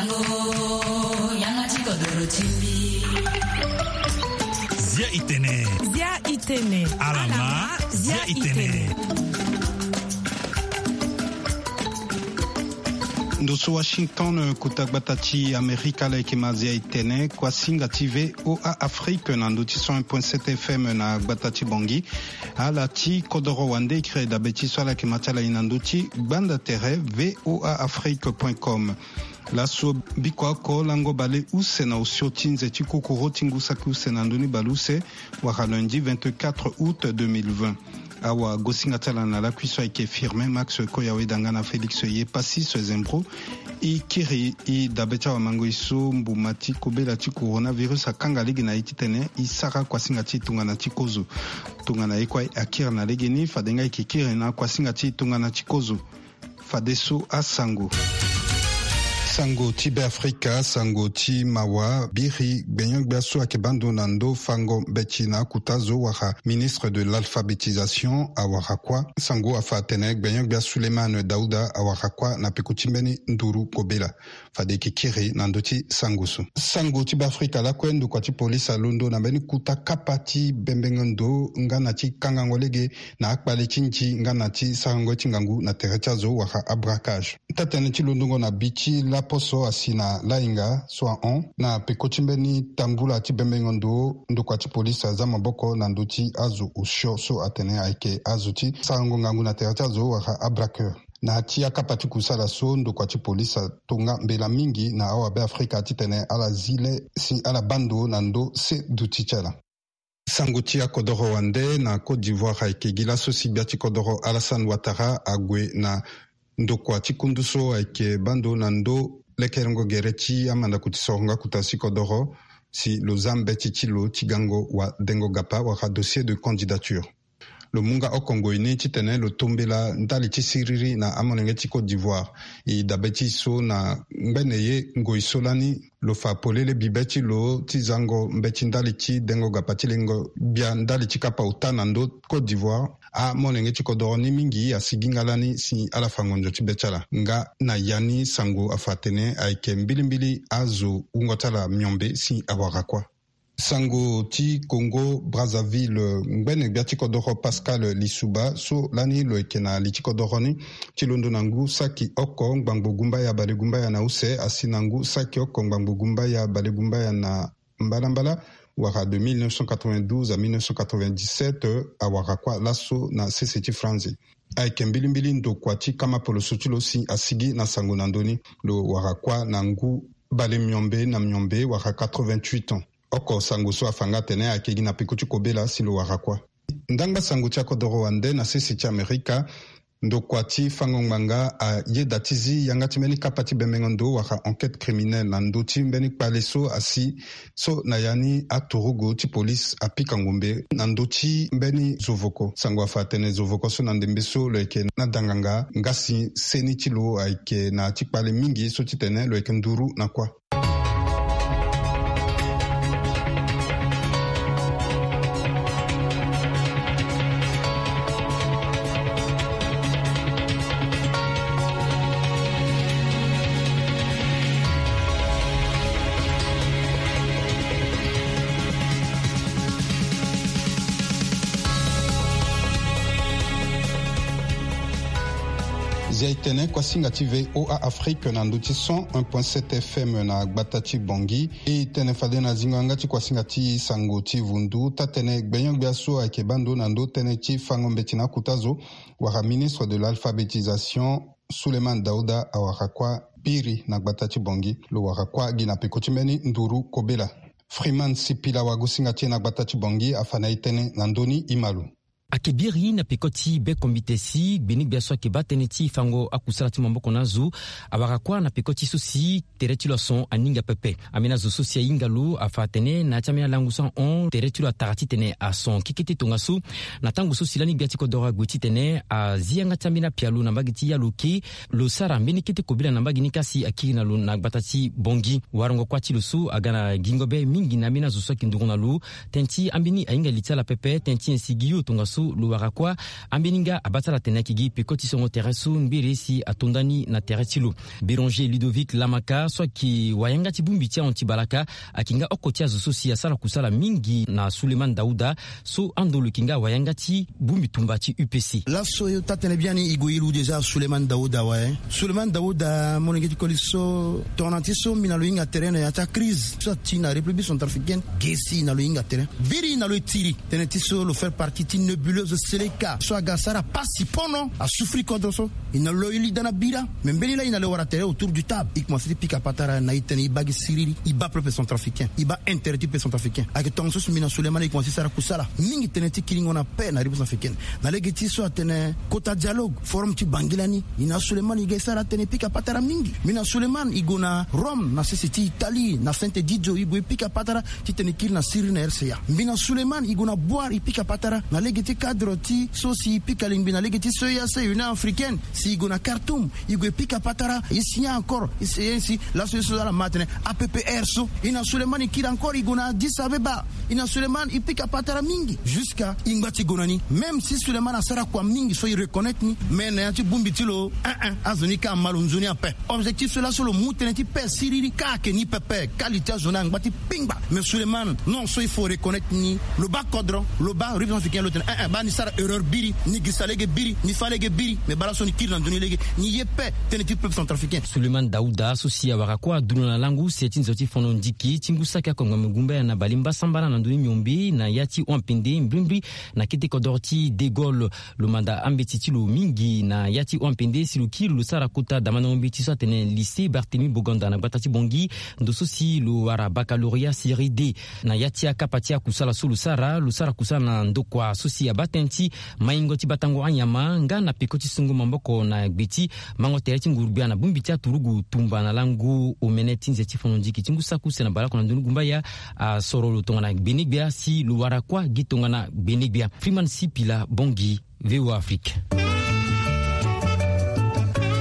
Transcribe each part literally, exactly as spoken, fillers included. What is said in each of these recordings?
Zia itene. Zia itene. Alama. Zia itene. Ndo so Washington, kota gbata ti Amerika, ala yeke ma Zia itene, kuasinga ti V O A Afrique na ndo ti cent un point sept F M na gbata ti Bangui. Ala ti kodoro wande, e kiri dabe ti so ala yeke ma ti ala ye na ndo ti gbanda tere V O A Afrique point com. Laso bikua oko lango bale use na osio ti nze ti kokoro ti ngu saki use na ndö ni bale use, wala lundi vingt-quatre août deux mille vingt. Awagosinga ti ala na lakui so ayeke Firmin Max Koyawe, danga na Félix Yepassis Zembro. E kiri e dabe ti awamangoi so mbuma ti kobela ti coronavirus akanga lege na e titene e sara kuasinga ti tongana ti kozo. Tongana ye kue akiri na legeni, fade nga e yeke kiri na kuasinga ti tongana ti kozo. Fadeso asango. Sango ti Beafrika, sango ti mawa, biri gbenyo-gbia so ayeke baa ndo na ndo fango mbeti na akota zo, wala ministre de l'alphabétisation, awara kuâ. Sango afa atene gbenyo-gbia Souleymane Daouda awara kuâ na peko ti mbeni nduru kobela. Fade e yeke kiri na ndö ti sango so. Sango ti Beafrika lakue, ndokua ti polisi alondo na mbeni kota kapa ti bembengo ndo nga na ti kangango lege na akpale ti nzi nga na ti sarango ye ti ngangu na tere ti azo, wala abraquage. Taa-tënë ti londongo na bi ti laposo asi na lahinga so ahon na peko ti mbeni tambula ti bembengo ndo, ndokua ti polisi aza maboko na ndö ti azo osio so atene ayeke azo ti sarango ngangu na tere ti azo, wala abraqueur. Na ya ti akapa ti kusala so, ndokua ti polisi atonga mbela mingi na awabeafrika titene ala zi le si ala baa ndo na ndö se duti ti ala. Sango ti akodoro wande na Côte d'Ivoire ayeke gi laso si gbia ti kodoro Alassane Ouattara ague na ndokua ti kundu so ayeke baa ndo na ndö lekerengo gere ti amandako ti sorongo akuta si kodoro, si lo za mbeti ti lo ti gango wadengo gapa, wala dossier de candidature. Lo mu nga oko ngoi ni titene lo tombela ndali ti siriri na amolenge ti Côte d'Ivoire. E dabe ti so na ngbene ye ngoi so lani, lo fa polele bibe ti lo ti zango mbeti ndali ti dengo gapa ti lengo gbia ndali ti kapa ota na ndö Côte d'Ivoire. Amolenge ti kodoro ni mingi asigi nga lani si ala fa ngonzo ti be ti ala. Nga na ya ni sango afa atene ayeke mbilimbili azo wungo ti ala miombe si awara kuâ. Sango ti Congo Brazzaville, ngbene gbia ti kodoro Pascal Lissouba so lani lo yeke na li ti kodoro ni ti londo na ngu saki oko ngbangbo gumbaya bale gumbaya na use asi na ngu saki oko ngbangbo gumbaya bale gumbaya na mbalambala, wala de mille neuf cent quatre-vingt-douze à mille neuf cent quatre-vingt-dix-sept, awara kuâ laso na sese ti Franzi. Ayeke mbilimbili ndokua ti kama poloso ti lo si asigi na sango na ndö ni. Lo wara kuâ na ngu bale miombe na miombe, wala quatre-vingt-huit ans. Oko sango so afa nga atene ayeke gi na peko ti kobela si lo wara kuâ. Ndangba sango ti akodoro wande na sese ti Amerika, ndokua ti fango ngbanga ayeda ti zi yanga ti mbeni kapa ti bembengo ndo, wala enquête criminelle, na ndö ti mbeni kpale so asi so na ya ni aturugu ti polisi apika ngombe na ndö ti mbeni zovoko. Sango afa atene zovoko so na ndembe so lo yeke na danganga, nga si seni ti lo ayeke na ya ti kpale mingi so titene lo yeke nduru na kuâ. Zia e tene kuasinga ti V O A Afrique na ndö ti cent un point sept F M na gbata ti Bangui. E tene fade na zingo yanga ti kuasinga ti sango ti vundu, taa-tënë gbenyo-gbia so ayeke baa ndo na ndö tënë ti fango mbeti na akota zo, wala ministre de l'alphabétisation, Souleymane Daouda awara kuâ biri na gbata ti Bangui. Lo wara kuâ gi na peko ti mbeni nduru kobela. Freeman Sipila, wagosinga ti e na gbata ti Bangui, afa na e tënë na ndö ni, e ma lo. Ayeke biri na peko ti be kombite si gbenyo-gbia so ayeke baa tënë ti fango akusala ti maboko na azo awara kuâ na peko ti so si tere ti lo ason aninga pepe. Ambeni azo so si ahinga lo afa atene na ya ti ambeni alangu so ahon, tere ti lo atara titene ason kekete tongaso. Na tango so si lani gbia ti kodoro ague titene azi yanga ti ambeni apialo na mbage ti Yaloke, lo sara mbeni kete kobela na mbage ni ka si akiri na lo na gbata ti Bangui. Warango kuâ ti lo so aga na gingo be mingi na ambeni azo so ayeke nduru na lo, tënë ti ambeni ahinga li ti ala pepe, tënë ti nyen si gi yo tongaso. Lo wara kuâ, ambeni nga abata ala tene ayeke gi peko ti songo tere so mbiri si ato nda ni na tere ti lo. Béranger Ludovic Lamaka so ayeke wayanga ti bongbi ti ahon ti balaka, ayeke nga oko ti azo so si asara kusala mingi na Souleymane Daouda, so ando lo yeke nga wayanga ti bongbi tumba ti U P C. Laso yo taa-tënë biani e gue e lu déjà Souleymane Daouda awe. Souleymane Daouda molenge ti koli so, tongana ti so mbi na lo hinga tere na ya ti akrize so ati na République centrafricaine, ge si na lo hinga tere. Biri na lo e tiri tënë ti so lo faire partie ti nébuleuse Seleka so aga asara pasi pono, asouffrir kodro so. E na lo e li daa na bira. Me mbeni laa e na lo e wara tere autour du table, e komanse ti pika patara na e tene e baa gi siriri, e baa peuple centrafricain, e baa intérêt ti peuple centrafricain. Ayeke tongaso si mbi na Souleymane e komanse ti sara kusala mingi tënë ti kiringo na paix na République centrafricaine. Na lege ti so atene kota dialogue, forum ti Bangui lani, e na Souleymane e ga e sara atene e pika patara mingi. Mbi na Souleymane e gue na Rome na sese ti Italie, na Saint-Egidio, e gue e pika patara titene e kiri na Syrie na R C A. Mbi na Souleymane e gue na Bouar e pika patara na lege ti cadre ti so si e pika lingbi na lege ti C E E A C, Union Africaine. Si e gue na Khartoum, e gue e pika patara, e signa accord, e si, e si laso ye so ala ma atene A P P R so. E na Souleymane e kiri encore e gue na Addis Abeba. E na Souleymane e pika patara mingi jusqu'à e ngba ti gue na ni. Même si Souleymane asara kua mingi so e reconnaître ni, mais na ya ti bongbi ti lo, eh, eh, azo ni ka ama lo nzoni ape. Objectif so laso lo mu tënë ti paix siriri ka ayeke ni pepe. Qualité azo ni angba ti pingba. Mais Souleymane, non, so il faut reconnaître ni, lo baa kodro, lo baa République centrafricaine, lo tene, eh, eh, baa ni sara erreur biri, ni girisa lege biri, ni fâ lege biri. Mais baa laso ni kiri na nzoni lege, ni ye paix tënë ti peuple centrafricain. Souleymane Daouda so si awara kuâ adunia na langu se ti nzoni ti fono ndiki ti ngu saki akongo me gumbaya na balemba sambala na ndoni miombe na ya ti Ouampende, mbrimbri na kete kodro ti De Gaulle. Lo manda ambeti ti lo mingi na ya ti Ouampende si lo kiri lo sara kota damandango mbeti so atene lycée Barthélemy Boganda na gbata ti Bangui. Ndo so si lo wara baccalauréat série D. Na ya ti akapa ti akusala so lo sara, lo sara kusala na ndokua so si abaa tënë ti maingo ti batango anyama nga na peko ti sungo maboko na gbe ti mango tere ti nguru-gbia na bongbi ti aturugu tumba na lango omene ti nze ti fono ndiki ti ngu saki use na baleoko na ndoni gumbaya. Asoro lo tongana gbene-gbia si lo wara kuâ gi tongana gbene-gbia. Freeman Sipila, Bangui, V O A Afrique.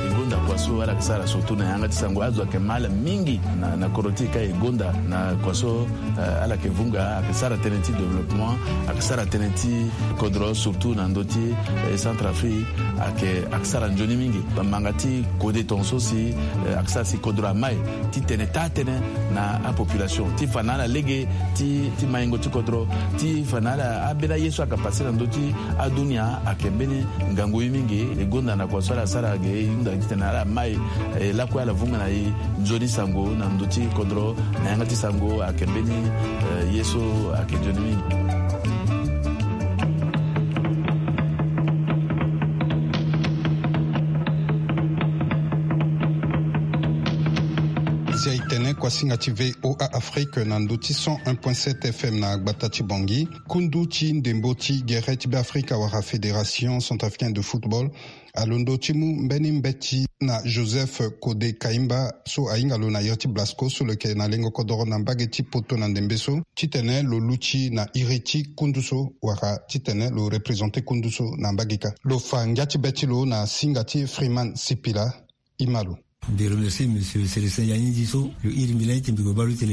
E gonda kua so ala yeke sara surtout na yanga ti sango, azo ayeke ma ala mingi na, na kodro ti e ka e gonda na kua so, eh, ala yeke vunga, ayeke sara tënë ti développement, ayeke sara tënë ti kodro surtout na ndö ti, eh, Centrafrique, ayeke, ayeke sara nzoni mingi. Bamanga ti kode tongaso si, eh, ayeke sara si kodro ama e ti tene taa-tënë na apopulation ti fa na ala lege ti, ti maingo ti kodro, ti fa na ala ambeni aye so ayeke pase na ndö ti adunia ayeke mbeni ngangu ye mingi. E gonda na kua so ala sara ge e hunda titene ala ma e, e lakue ala vunga na e nzoni sango na ndö ti kodro na yanga ti sango ayeke mbeni, eh, ye so ayeke nzoni mingi. Zia e tene kuasinga ti V O A Afrique na ndö ti cent un point sept F M na gbata ti Bangui. Kundu ti ndembo ti gere ti Beafrika wala Fédération Centrafricaine de Football alondo ti mu mbeni mbeti na Joseph Kode Kaimba so ahinga lo na iri ti Blasco so lo yeke na lengo kodoro na mbage ti Poto na ndembe so, titene lo luti na iri ti kundu so wala titene lo représenter kundu so na mbage kâ. Lo fa ngia ti be ti lo na singa ti Freeman Sipila. E ma lo. Mbi remercie monsieur Célestin Yanyindi so lo iri mbi lani ti mbi gue baa lo ti tene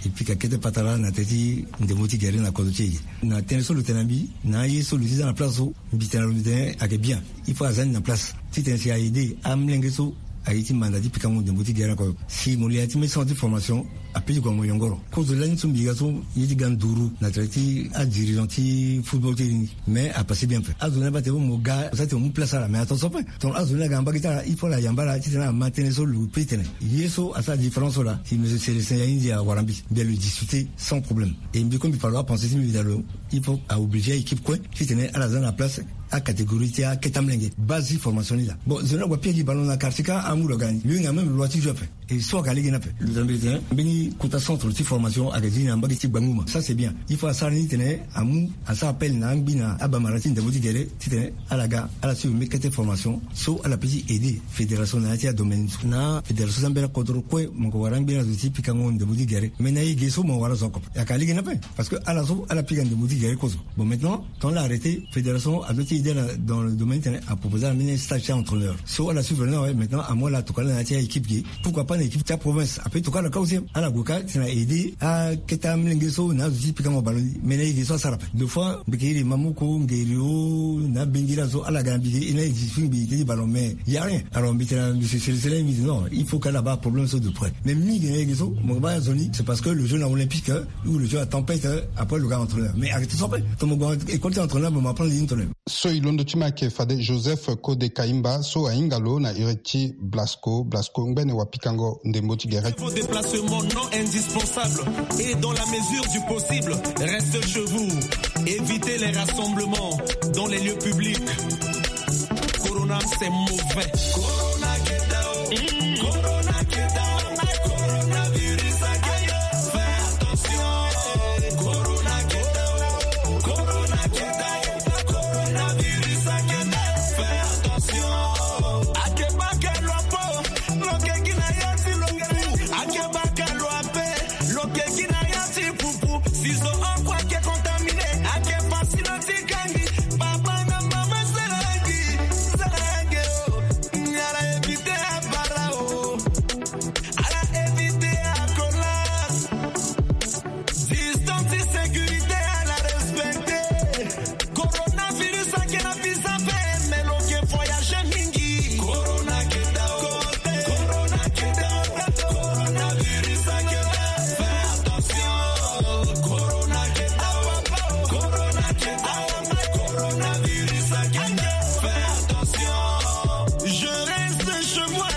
e pika kete patara na tënë ti ndembo ti gere na kodro ti e. Na tënë so lo tene na mbi na aye so lo ti za na place so, mbi tene na lo mbi tene ayeke bien. Il faut aza ni na place titene si a aider amolenge so aye ti manda ti pikango ndembo ti gere na kodro. Si mo li ya ti mbeni centre ti formation, ape ti gue na mo yongoro. Kozo lani so mbi ga so ye ti ga nduru na tere ti adirigeant ti football ti e ni. Mais apasse bien ape. Azo ni abaa tene mo ga mo sara tene mo mu place ala, mais attention ape. Tongana azo ni aga na mbage ti ala, il faut ala yamba ala titene ala ma tënë so lo pe ti tene. Ye so asara différence so laa, si monsieur Célestin Yanyindi awara mbi, mbi a lo discuter sans problème. Et mbi kue mbi fa lo apenser ti mbi, mbi da lo, il faut a obliger a équipe kue titene ala za na place acatégorie ti akete amolenge. Base ti formation ni laa. Bon, zo ni ague apia gi ballon na quartier kâ, amu lo aga ni, lo hinga même lo loi ti jeu ape. E so ayeke lege ni ape. Lo tene mbi tene mbeni kota centre ti formation ayeke zi ni na mbage ti Gbanguma. Ça c'est bien. Il faut asara ni titene amu, asara appel na angbi na abamara ti ndembo ti gere titene ala ga ala suivre mbeni kete formation so ala peut ti aider fédération na ya ti adomaine so. Na fédération ti ambeni akodro kue mo yeke wara angbi na zo ti pikango ndembo ti gere. Mais na e ge so mo wara zo oko ape. Ayeke lege ni ape. Parce que ala so ala pika ndembo ti gere kozo. Bon, maintenant, tongana ala arrêter, fédération adoit ti aider ala dans le domaine titene a proposer ala mbeni stage ti entraîneur. So ala suivre ni awe, maintenant amu ala tokua ala na ya ti a équipe ge. Pourquoi pas Équipe ti aprovince ape tokua na kau si ala gue ka si na aide akete amolenge so na azo ti pikango ballon ni. Mais na iri so asara ape deux fois mbeke iri mamoko ngeri o na bengiri azo ala ga na mbike e na iri ti fingbi ti ballon mais y a rien. Alors mbite na monsieur Celestin mbi dit non, il faut que ala baa problème so de près. Mais mingi na iri so mo baa azo ni c'est parce que le jeune olympique ou le jeune à tempête, après le gars entraîneur mais arrêtez son père. Tomo gue école ti entraîneur mo apprendre ni entraîneur. So e londo ti ma ayeke fade Joseph Kode Kaimba so ahinga lo na iri ti Blasco. Blasco ngbene wapikango ndembo ti gere. Vos déplacements non indispensables et dans la mesure du possible, restez chez vous. Évitez les rassemblements dans les lieux publics. Corona, c'est mauvais. Corona, get down. Corona, get down. Coronavirus, get down. Fais attention. Corona, get down. Corona, get down. Coronavirus, get down. Fais attention. Akeba ke lua po. Lo ke gi na ya ti lo ke. Akeba ke lua pe. Lo ke gi na ya ti pupu. Si zo oko ake contaminé. Ake facile ti kangi. Papa na mama sala gi. Sala gi o. Ala éviter abara o. Ala éviter akola. Distance ti sécurité ala respecter. Coronavirus ake na biza pe, mais lo ke voyager mingi. Corona ke da o. Corona ke da o. Coronavirus ake da. Fais attention. Corona ke da o. Corona ke da o. Coronavirus ake da. Fais attention. Je reste chez moi.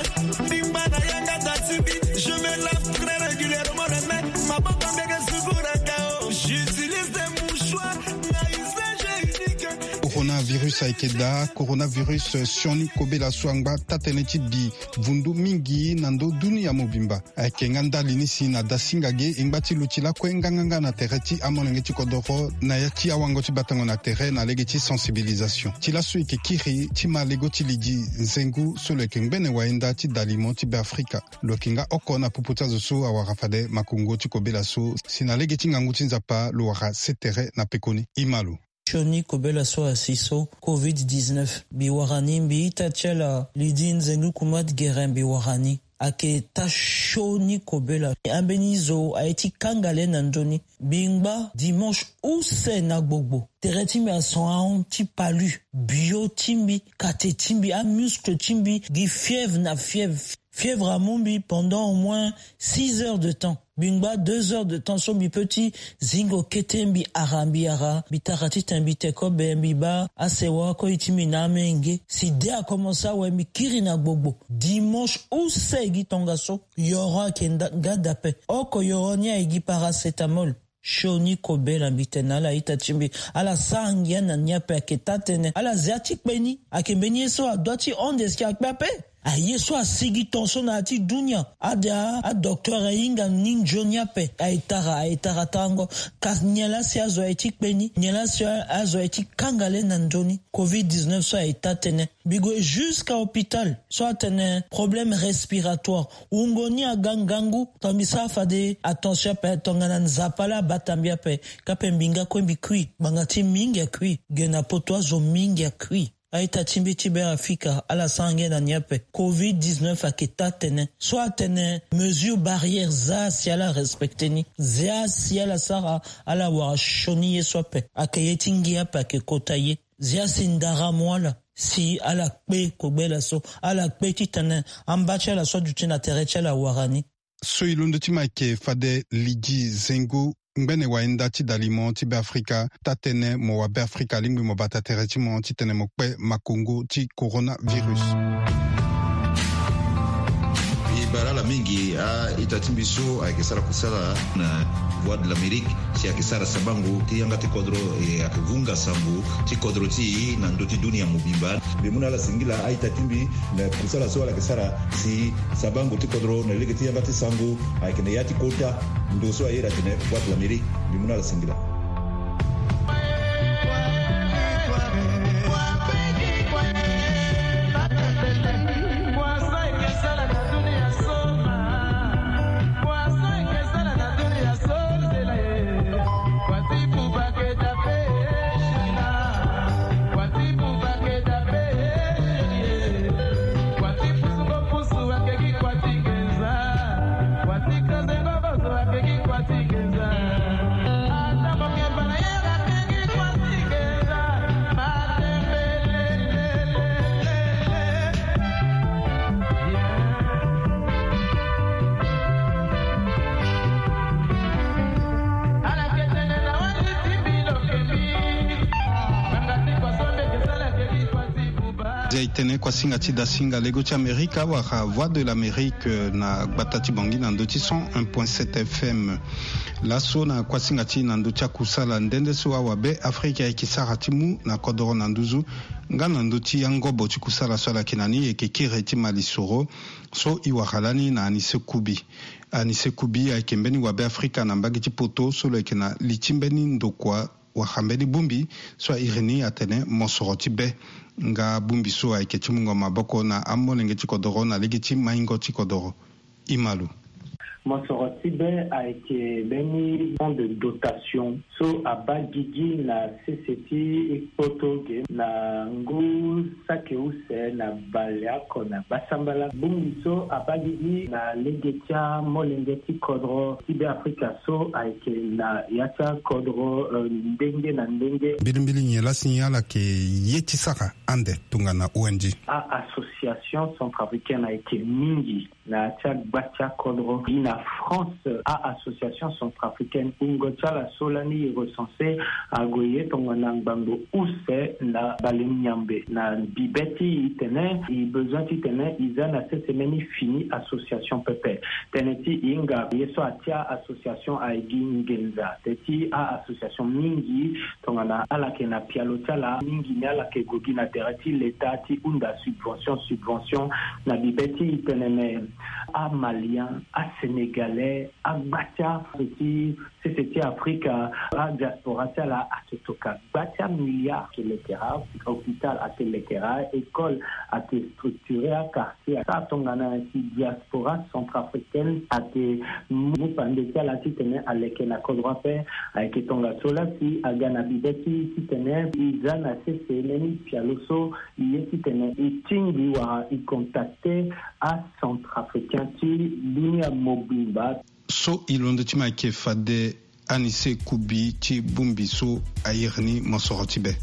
Bimba na yanga datibi. Je me lave très régulièrement les mains. Maboko mbeke sukuraka o. J'utilise des mouchoirs. Na usage unique. Coronavirus ayeke daa. Coronavirus sioni kobela so angba taa-tënë ti di vundu mingi na ndö dunia mobimba. Ayeke nga ndali ni si na dasinga ge e ngba ti luti lakue nganganga na tere ti amolenge ti kodoro na ya ti awango ti batango na tere na lege ti sensibilisation. Ti laso e yeke kiri ti ma lego ti lidi nzengu so lo yeke ngbene wayenda ti dalimo ti Beafrika. Lo yeke nga oko na popo ti azo so awara fade makongo ti kobela so si na lege ti ngangu ti Nzapa lo wara se tere na pekoni. E ma lo. Sioni kobela so asi so covid dix-neuf mbi wara ni, mbi ita ti ala lidi nzengu kumat gere mbi wara ni. Ayeke taa sioni kobela. Ambeni zo aye ti kanga le na ndö ni. Mbi ngba dimanche use na gbogbo. Tere ti mbi ason ahon ti palu. Bio ti mbi, kate ti mbi, amuscle ti mbi gi fièvre na fièvre. Fièvre amu mbi pendant au moins six heures de temps. Mbi ngba deux heures de temps so mbi peut ti zingo kete, mbi ara, mbi ara, mbi tara titene mbi te kobe, mbi baa asewa koi ti mbi na amenge. Si de akomense awe, mbi kiri na gbogbo. Dimanche use gi tongaso, yoro ayeke nda-, nga daa ape. Oko yoro ni aye gi paracétamol. Sioni kobela mbi tene na ala ita ti mbi. Ala sara ngia na ni ape, ayeke taa-tënë. Ala zia ti kpe ni. Ayeke mbeni ye so adua ti hon de si akpe ape. Aye so asigi ton so na ya ti dunia. Ade a, adocteur ahinga ni nzoni ape. Aye tara, aye tara tarango. Kasi nyen laa si azo aye ti kpe ni? Nyen laa si azo aye ti kanga le na ndö ni? Covid dix-neuf so aye taa-tënë. Mbi gue jusqu'à hôpital so atene problème respiratoire. Wungo ni aga ngangu. Tongana mbi sara fade attention ape, tongana Nzapa laa abata mbi ape, ka mpe mbi nga kue mbi kui. Ngbanga ti mingi akui. Ge na poto azo mingi akui. A-ita ti mbi ti Beafrika, ala sara ngia na ni ape. Covid dix-neuf ayeke taa-tënë. So atene mesure barrière, zia si ala respecter ni. Zia si ala sara, ala wara sioni ye so ape. Ayeke ye ti ngia ape ayeke kota ye. Zia si ndara amu ala, si ala kpe kobela so, ala kpe titene amba ti ala so aduti na tere ti ala awara ni. So e londo ti mo ayeke fade lidi zengo ngbene wayenda ti dalimo ti Beafrika, taa-tënë mo wa Beafrika alingbi mo bata tere ti mo titene mo kpe makongo ti coronavirus. E bale ala mingi a-ita ti mbi so ayeke sara kusala na Voix de l'Amérique. Si ayeke sara sabango ti yanga ti kodro, e ayeke vunga sango ti kodro ti e na ndö ti dunia mobimba. Mbi mu na ala singila a-ita ti mbi na kusala so ala yeke sara si sabango ti kodro na lege ti yanga ti sango ayeke na ya ti kota ndo so a iri atene Voix de l'Amérique. Mbi mu na ala singila. Zia e tene kuasinga ti dasinga lego ti amerika wala voix de l'amérique na gbata ti bongi na ndö ti cent un point sept fm. Laso na kuasinga ti na ndö ti akusala nde nde so awabe afrika ayeke sara ti mu na kodoro na nduzu nga na ndö ti angobo ti kusala so ala yeke na ni e yeke kiri ti malisoro. So e wara lani na anise kubi. Anise kubi ayeke mbeni wabe afrika na mbage ti poto so lo yeke na li ti mbeni ndokua wala mbeni bongbi so a iri ni atene mosoro ti be. Nga bongbi so ayeke ti mungo maboko na amolenge ti kodoro na lege ti maingo ti kodoro. Imalu. Mosoro ti be ayeke mbeni fonds de dotation so abaa gigi na sese ti kpoto ge na ngu saki use na baleoko na basambala. Bongbi so abaa gigi na lege ti amolenge ti kodro ti be afrika so ayeke na ya ti akodro ndenge na ndenge. Mbilimbili nyen lasi ala yeke ye ti sara ande tongana ong? A-association centrafricaine ayeke mingi na ya ti agba ti akodro gi na france. A-association centrafricaine wungo ti ala so lani e recense ague ye tongana ngbangbo use na balenyambe na bibe ti e tene e besoin ti tene e za na sese mbeni fini association pepe. Tënë ti hinga ye so atia association aye gi nginza te ti a-association mingi tongana ala yeke na pialo ti ala mingi ni ala yeke gue gi na tere ti leta ti hunda subvention subvention na bibe ti e tene me amalien asénégalais agba ti azo ti sese ti afrika adiaspora ti ala ake toka gba ti amilliard ake lekera hôpital ake lekera école ake structure akartier. Ata tongana ti diaspora centrafricaine ake mu pande ti ala titene aleke na kodro ape. Ayeke tongaso lasi aga na bibe ti titene e za na sese mbeni pialo so e ye titene e tingbi wala e contacte acentrafricain ti dunia mobimba. So e londo ti ma ayeke fade anise kubi ti bongbi so a iri ni mosoro ti be.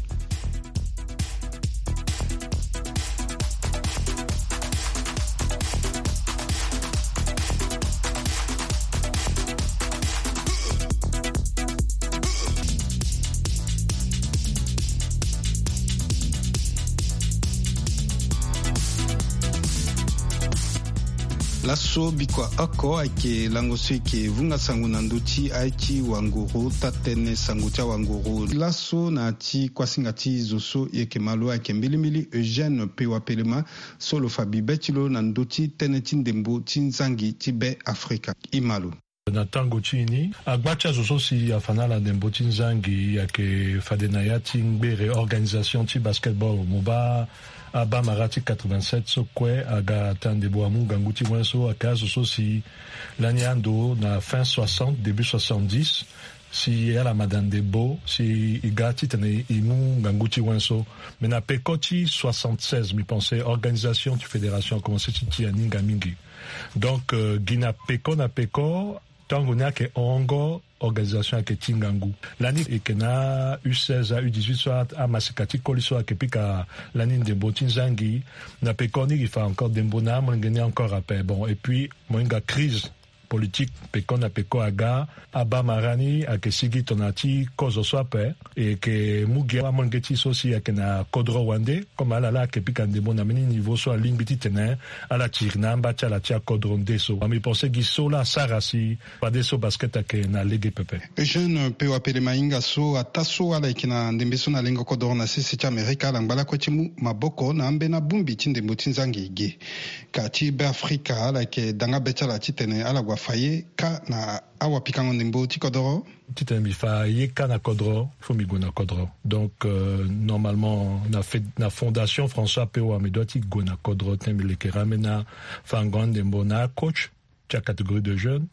Laso bikua oko ayeke lango so eke vunga sango na ndö ti aye ti wanguru tatene sango ti awanguru laso na ti kuasinga ti zo so e yeke ma lo ayeke mbilimbili eugène pewa pelema so lo fa bibe ti lo na ndö ti tënë ti ndembo ti nzangi ti be afrika. E ma lo. Na tango ti e ni agba ti azo so si afa na ala ndembo ti nzangi ayeke fade na ya ti ngbere organisation ti basketball mo baa abamara ti quatre-vingt-sept so kue aga ata ndembo amu ngangu ti wen so ayeke azo so si lani ando na fin soixante début soixante-dix si ala ma daa ndembo si e ga titene e mu ngangu ti wen so. Mais na peko ti soixante-seize mbi pense organisation ti fédération akomense ti ti aninga mingi. Donc gi na peko na peko tango ni ayeke hongo organisation ayeke ti ngangu. Lani eke na u seize a u dix-huit so amasika ti koli so ayeke pika lani ndembo ti nzangi. Na peko ni gi fa encore ndembo na amolenge ni encore ape bon et puis mo hinga crise politique peko na peko aga abamara ni ayeke sigi tongana ti kozo so ape. E yeke mu gi amolenge ti so si ayeke na kodro wande comme ala laa ayeke pika ndembo na mbeni niveau so alingbi titene ala tiri na amba ti ala ti akodro nde so. Mbi pense gi so laa asara si fadeso basket ayeke na lege pepe. Eugène pewa pele mahinga so ataa so ala yeke na ndembe so na lengo kodoro na sese ti amerika ala ngba lakue ti mu maboko na ambeni abongbi ti ndembo ti nzangi ge. Ka ti be afrika ala yeke danga be ti ala titene ala gue afa ye ka na awapikango ndembo ti kodoro. Titene mbi fa ye ka na kodro fo mbi gue na kodro. Donc normalement na fondation françois pewa mbi dua ti gue na kodro titene mbi lekera ambeni afango andembo na acoach ti acatégorie de jeune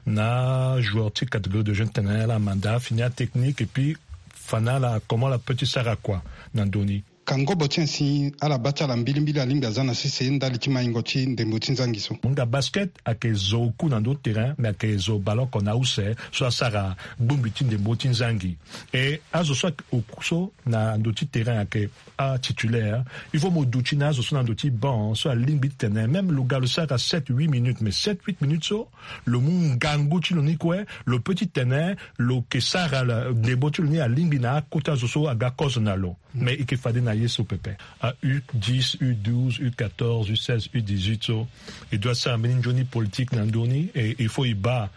na joueur ti catégorie de jeune tene ala manda fini atechnique et puis fa na ala comment ala peut ti sara kua na ndö ni. Ka ngobo ti nyen si ala baa ti ala mbilimbili alingbi aza na sese ndali ti maingo ti ndembo ti nzangi so? Mo hinga basket ayeke zo oku na ndö ti terrain mais ayeke zo baleoko na use so asara gbongbi ti ndembo ti nzangi. E azo so ayeke oku so na ndö ti terrain ayeke atitulaire. Il faut mo duti na azo so na ndö ti banc so alingbi ti tene même lo ga lo sara sept huit minutes mais sept huit minutes so lo mu ngangu ti lo ni kue lo peut ti tene lo yeke sara ndembo ti lo ni alingbi na akota zo so aga kozo na lo. Mais e yeke fade na Ye so pepe. A U dix, U douze, U quatorze, U seize, U dix-huit so, e doit sara mbeni nzoni politique na ndö ni, e il faut e baa,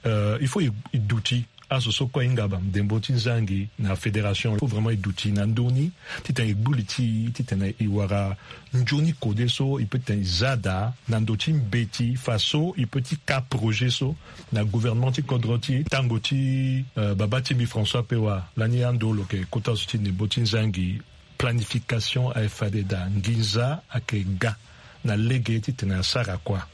euh, il faut e duti azo so kue ahinga bamdembo ti nzangi na fédération. Il faut vraiment e duti na ndö ni titene e gbu li ti e titene e wara nzoni kode so, e peut titene e za daa na ndö ti mbeti faso e peut ti ka projet so na gouvernement ti kodro ti e. Tango ti, euh, baba ti mbi François Pewa, lani ando lo yeke kota zo ti ndembo ti nzangi, planification aye fade daa, nginza ayeke ga na lege titene asara kua.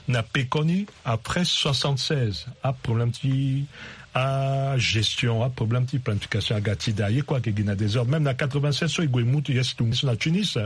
Na pekoni, après soixante-seize, aproblème ti agestion, aproblème ti planification aga ti daa, ye kue ayeke gi na désordre. Même na quatre-vingt-seize so e gue e mu ti ye si tumbi so na Tunis,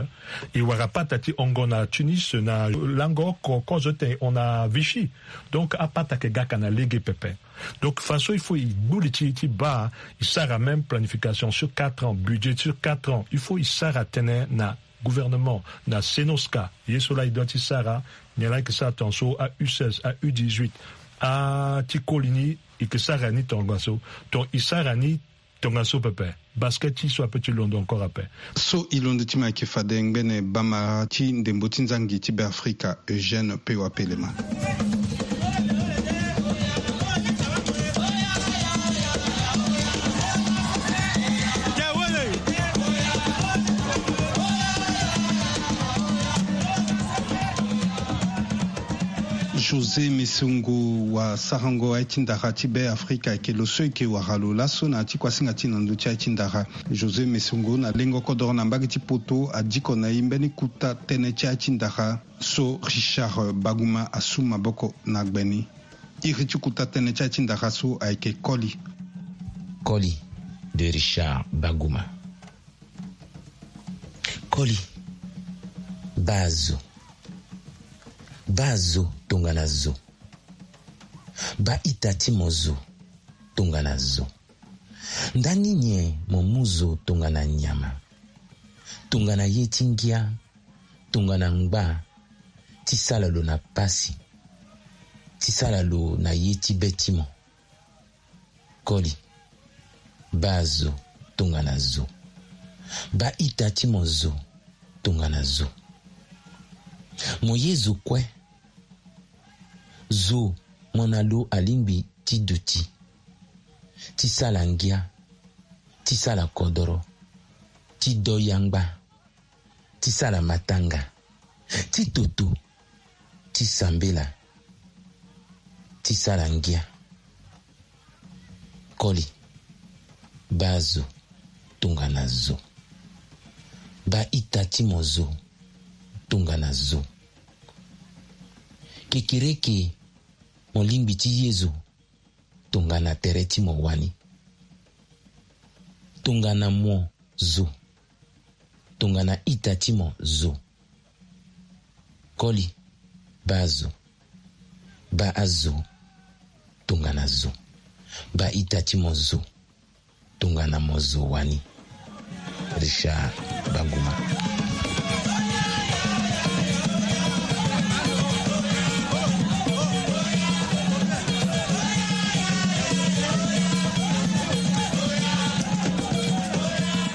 e wara pata ti hongo na Tunis na lango oko, kozo ti tene e hon na Vichy. Donc apata ayeke ga ka na lege pepe. Donc faso il faut e gbu li ti e ti baa, e sara même planification sur quatre ans, budget sur quatre ans. Il faut e sara tënë na gouvernement, na Cnosca, ye so laa e doit ti sara, nyen laa e yeke sara tongaso, a U seize, a U dix-huit, a ti koli ni, e yeke sara ni tongaso, donc e sara ni tongaso pepe. Basket ti so ape ti londo encore ape. So e londo ti mo ayeke fade ngbene bamara ti ndembo ti nzangi ti Beafrika, Eugène Pewa Pelema. José Mesongo, wasarango aye ti ndara ti Beafrika, ayeke lo so e yeke wara lo laso na ya ti kuasinga ti na ndö ti aye ti ndara. José Mesongo na lengo kodoro na mbage ti poto adiko na e mbeni kuta tënë ti aye ti ndara so Richard Baguma asu maboko na gbe ni. Iri ti kuta tënë ti aye ti ndara so ayeke Koli. Koli de Richard Baguma. Koli, baa zo. Baa zo tongana zo. Baa ita ti mo zo tongana zo. Ndani nyen mo mu zo tongana nyama, tongana ye ti ngia, tongana ngba, ti sala lo na pasi, ti sala lo na ye ti be ti mo? Koli, baa zo tongana zo. Baa ita ti mo zo tongana zo. Mo ye zo kue. Zo mo na lo alingbi ti duti, ti sala ngia, ti sala kodoro, ti do yangba, ti sala matanga, ti toto, ti sambela, ti sala ngia. Koli, baa zo tongana zo. Baa ita ti mo zo tongana zo. Kekereke mo lingbi ti ye zo tongana tere ti mo wani. Tongana mo zo. Tongana ita ti mo zo. Koli, baa zo. Baa azo tongana zo. Baa ita ti mo zo tongana mo zo wani. Richard Baguma.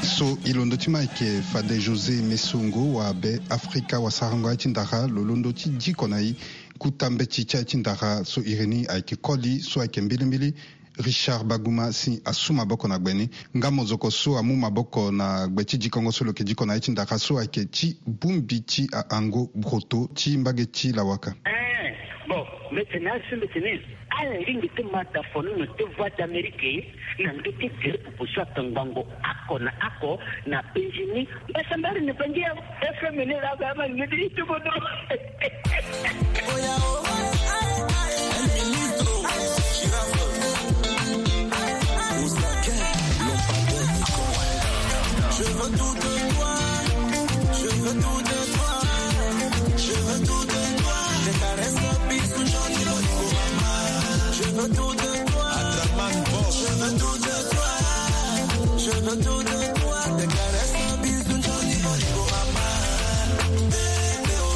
So e londo ti mo ayeke fade José Mesongo wa Be Afrika, wasarango aye ti ndara, lo londo ti diko na e. Kuta mbeti ti aye ti ndara so iri ni ayeke Koli, so ayeke mbilimbili Richard Baguma si asu maboko na gbe ni. Nga mozoko so amu maboko na gbe ti dikongo so lo yeke diko na aye ti ndara so ayeke ti bongbi ti ahango broto ti mbage ti lawaka. Eh, bon, mbeti ni asi mbeti ni. Ala lingbi ti ma tafono na te Voix d'Amérique na ndö ti gere pupu so atongbango oko na oko na penzi ni. Mbasambari ni bangi ya F M ni la ba ma ni di tubo do. Je veux tout de toi, je veux tout de toi, je veux tout de toi. Tes caresses, bisous, gentils mots, mama. Je veux tout de toi. Adraman Boss. Je veux tout de toi. Je veux tout de toi. Tes caresses, bisous, gentils mots, mama. Bébé, oh,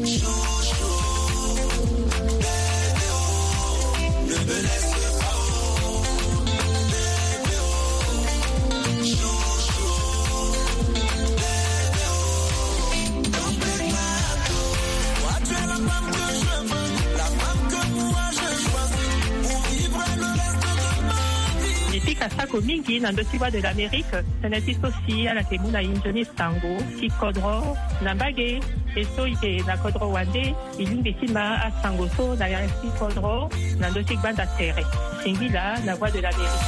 chouchou. Bébé, oh, ne me laisse pas, oh. Bébé, oh, chouchou. Asako mingi na ndö ti Voix de l'Amérique. Tënë ti so si ala yeke mu na e nzoni sango ti kodro na mbage. E so e yeke na kodro wande, e lingbi ti ma asango so na ya ti kodro na ndö ti gbanda tere. Singila na Voix de l'Amérique.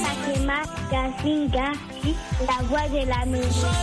Fatima Gazinga, la voix de la maison.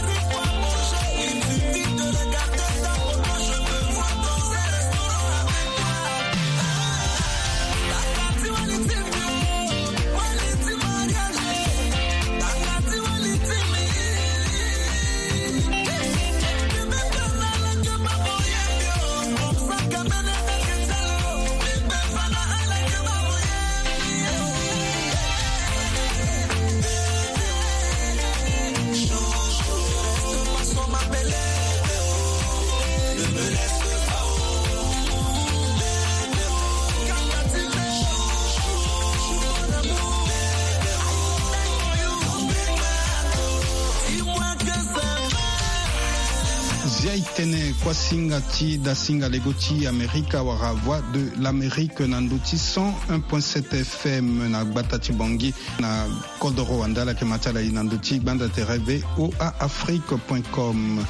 Zia e tene kuasinga ti dasinga lego ti Amerika wala Voix de l'Amérique na ndö ti cent un point sept F M na gbata ti Bangui na kodoro wande. Ala yeke ma ti ala e na ndö ti gbanda tere V O A Afrique point com.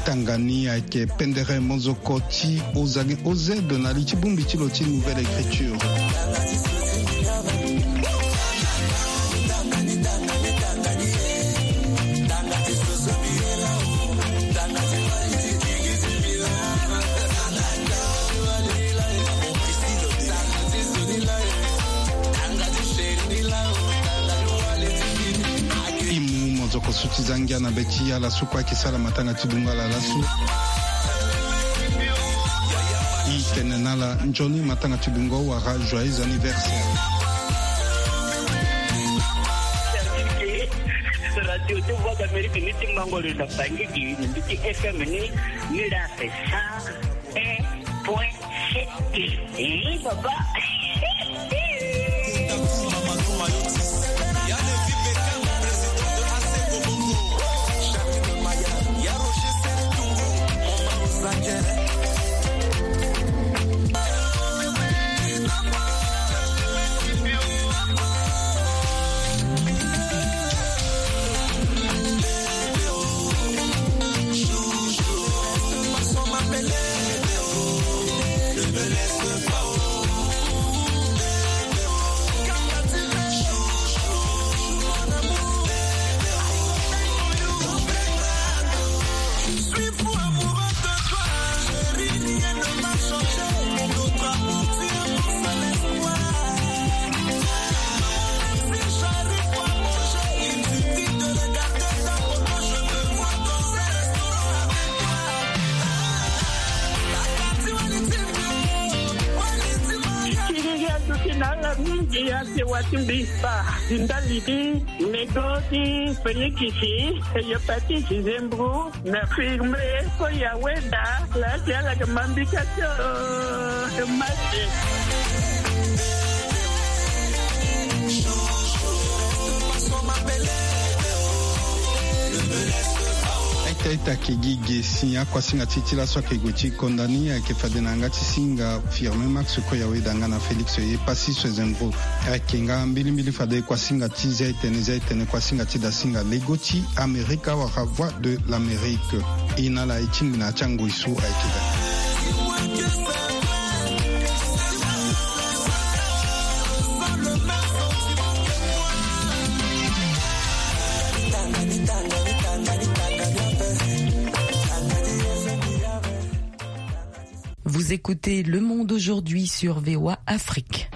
Tanga ni ayeke pendere mozoko ti Ozage O Z na li ti bongbi ti lo ti Nouvelle Écriture. E mu mozoko so ti za ngia na be ti ala so kue ayeke sara matanga ti dungo ala laso. E tene na ala nzoni matanga ti dungo wala joyeux anniversaire. Radio ti Voix d'Amérique ni ti mango lo na Bangui, ni ti F M ni, ni la sa un point sept. Eh, papa. Mingi ya sewa ti mbi, pa, ti ndali ti mego ti fenikisi, hepatite, zembro, na firme, koya weda la ti ala ke mambika ti mate. Aita aita ke gi ge si akuasinga ti ti laso ayeke gue ti konda ni ayeke fade na yanga ti singa Firmin Max, koya weda nga na Félix Epassi Swezembro. Ayeke nga mbilimbili fade kuasinga ti zia etene, zia etene kuasinga ti dasinga lego ti Amerika wala Voix de l'Amérique. E na ala e tingbi na ya ti angoi so ayeke daa. Vous écoutez Le Monde Aujourd'hui sur V O A Afrique.